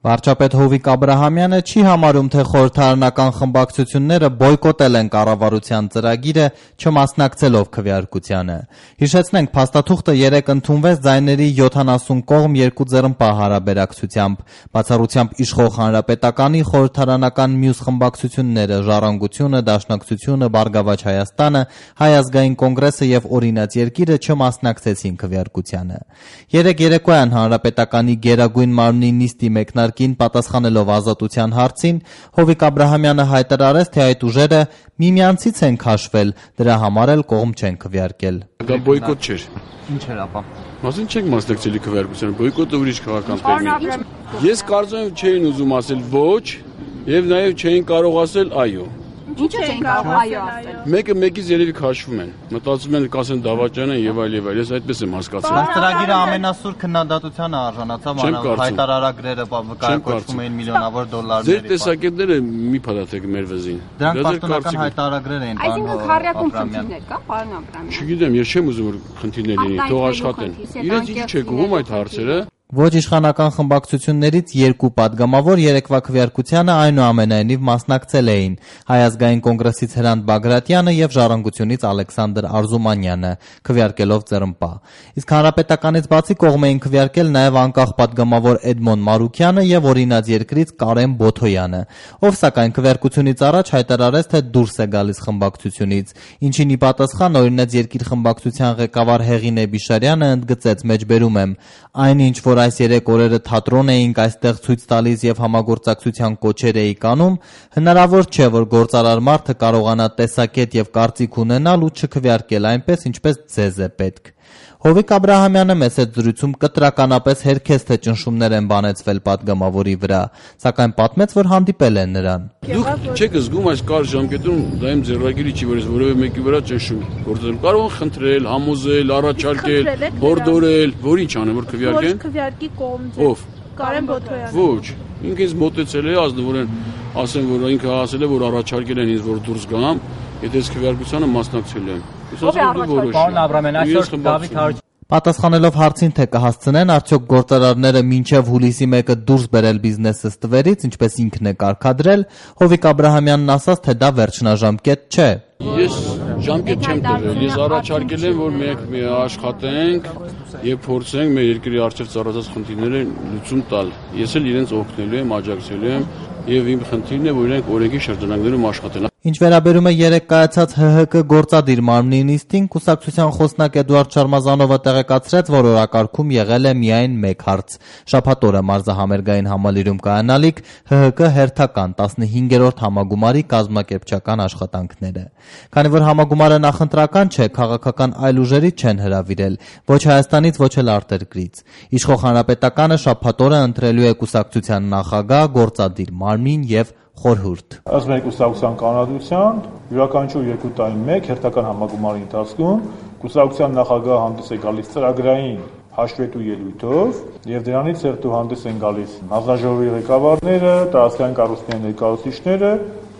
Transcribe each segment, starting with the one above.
Վարչապետ Հովիկ Աբրահամյանը չի համարում, թե խորհրդարանական խմբակցությունները բոյկոտել են կառավարության ծրագիրը, չմասնակցելով քվեարկությանը։ Հիշեցնենք, փաստաթուղթը 3 ընդունվեց ձայների 70 կողմ 2 ձեռնպահ հարաբերակցությամբ, բացառությամբ իշխող Հանրապետականի խորհրդարանական մյուս խմբակցությունները՝ Ժառանգությունը, Դաշնակցությունը, Բարգավաճ Հայաստանը, Հայ ազգային կոնգրեսը եւ Օրինաց երկիրը չմասնակցեցին քվեարկությանը։ Երեկ երեկոյան Հանրապետականի Գերագույն մարմնի նիստի մեկնարկին պատասխանելով Ազատության հարցին, Հովիկ Աբրահամյանը հայտարարեց, թե այդ ուժերը միմյանցից են քաշվել, դրա համար էլ կողմ չեն քվեարկել։ Դա բոյկոտ չէր։ Ինչ էր ապա։ Մասին չենք մասնակցելի քվեարկությանը, բոյկոտը ուրիշ քաղաքական տերմին։ Ես կարծում եմ չէին ուզում ասել ոչ, եւ նաեւ չէին կարող ասել այո։ Ինչու չեն կարող այո ասել։ Մեկը մեկից երևի քաշվում են։ Մտածում են կասեն դավաճան են եւ այլ եւ այլ։ Ես այդպես եմ հասկացել։ Բայց ծրագիրը ամենասուր քննադատությանը արժանացավ, մանավանդ հայտարարագրերը կարգավորվում էին միլիոնավոր դոլարների։ Ձեր տեսակետները մի փաթաթեք մեր վզին։ Դրանք պաշտոնական հայտարարագրեր էին, Այսինքն քարյակում խնդիրներ կա, պարոն Աբրահամյան։ Չգիտեմ, ես չեմ ուզում որ խնդիրներ լինի, թող աշխատեն։ Իրենց ինչ չեք ուղում այդ հարցերը։ Ոչ իշխանական խմբակցություններից 2 падգամավոր երեկվա քվեարկությանը այնուամենայնիվ մասնակցել էին Հայ ազգային կոնգրեսից Հրանտ Բագրատյանը եւ Ժառանգությունից Ալեքսանդր Արզումանյանը, քվեարկելով ձեռնպահ։ Իսկ Հանրապետականից բացի կողմ էին քվեարկել նաեւ անկախ падգամավոր Էդմոն Մարուկյանը եւ Օրինաց երկրից Կարեն Բոթոյանը, ով սակայն քվեարկությունից առաջ հայտարարեց, թե դուրս է գալիս խմբակցությունից, ինչին ի պատասխան Օրինաց երկիր խմբակցության ղեկավար Հեղին Էբիշարյանը ընդգծեց. «Մեջբերում եմ, այնինչ որ այս 3 օրերը թատրոն էինք այստեղ ցույց տալիս եւ համագործակցության կոչեր էինք անում, հնարավոր չէ, որ գործարար մարդը կարողանա տեսակետ եւ կարծիք ունենալ ու չքվեարկել այնպես, ինչպես ձեզ է պետք»։ Հովիկ Աբրահամյանը մեծ զրույցում կտրականապես հերքեց, թե ճնշումներ են բանեցվել падգամավորի վրա, սակայն պատմեց, որ հանդիպել են նրան։ Դուք չեք զգում այս կարճ ժամկետում դա իմ ձեռագիրի չի, որ ես որևէ մեկի վրա ճնշում գործել։ Կարող եմ խնդրել, համոզել, առաջարկել, հորդորել, որ ինչ անեմ, որ քվեարկեն։ Ոչ քվեարկի կողմ ձեր։ Ով։ Կարեն Բոթոյանը։ Ոչ, ինքը ինձ մոտեցել է, ազնվորեն ասեմ, որ ինքը ասել է, որ առաջարկել են ինձ, որ դուրս գամ, եթե ես քվեարկությանը մասնակցել եմ։ Ես ասում եմ դու որոշ։ Պարոն Աբրահամյան, այսօր Դավիթ Հարությունյանը պատասխանելով հարցին, թե կհասցնեն արդյոք գործարարները մինչև հուլիսի 1-ը դուրս բերել բիզնեսը ստվերից, ինչպես ինքն է կարգադրել, Հովիկ Աբրահամյանն ասաց, թե դա վերջնաժամկետ չէ։ Ես ժամկետ չեմ տվել, ես առաջարկել եմ, որ մենք աշխատենք եւ փորձենք մեր երկրի առջեւ ծառացած խնդիրները լուծում տալ։ Ես էլ իրենց օգնելու եմ, աջակցելու եմ եւ իմ խնդիրն է, որ իրենք օրենքի շրջանակներում աշխատեն։ Ինչ վերաբերում է երեկ կայացած ՀՀԿ գործադիր մարմնի նիստին, կուսակցության խոսնակ Էդուարդ Շարմազանովը տեղեկացրեց, որ օրակարգում եղել է միայն մեկ հարց՝ շաբաթ օրը մարզահամերգային համալիրում կայանալիք ՀՀԿ հերթական 15-րդ համագումարի կազմակերպչական աշխատանքները։ Քանի որ համագումարը նախընտրական չէ, քաղաքական այլ ուժերից չեն հրավիրել, ոչ Հայաստանից, ոչ էլ արտերկրից։ Իշխող Հանրապետականը շաբաթ օրը ընտրելու է կուսակցության նախագահ, գործադիր մարմին եւ խորհուրդ։ Ըստ մեր կուսակցության կանոնադրության, յուրաքանչյուր 2 տարին մեկ հերթական համագումարի ընթացքում կուսակցության նախագահը հանդես է գալիս ծրագրային հաշվետու ելույթով եւ դրանից հետո հանդես են գալիս հանձնաժողովի ղեկավարները, տարածքային կառույցների ներկայացուցիչները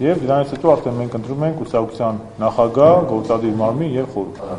եւ դրանից հետո արդեն մենք ընտրում ենք կուսակցության նախագահ, գործադիր մարմին եւ խորհուրդ։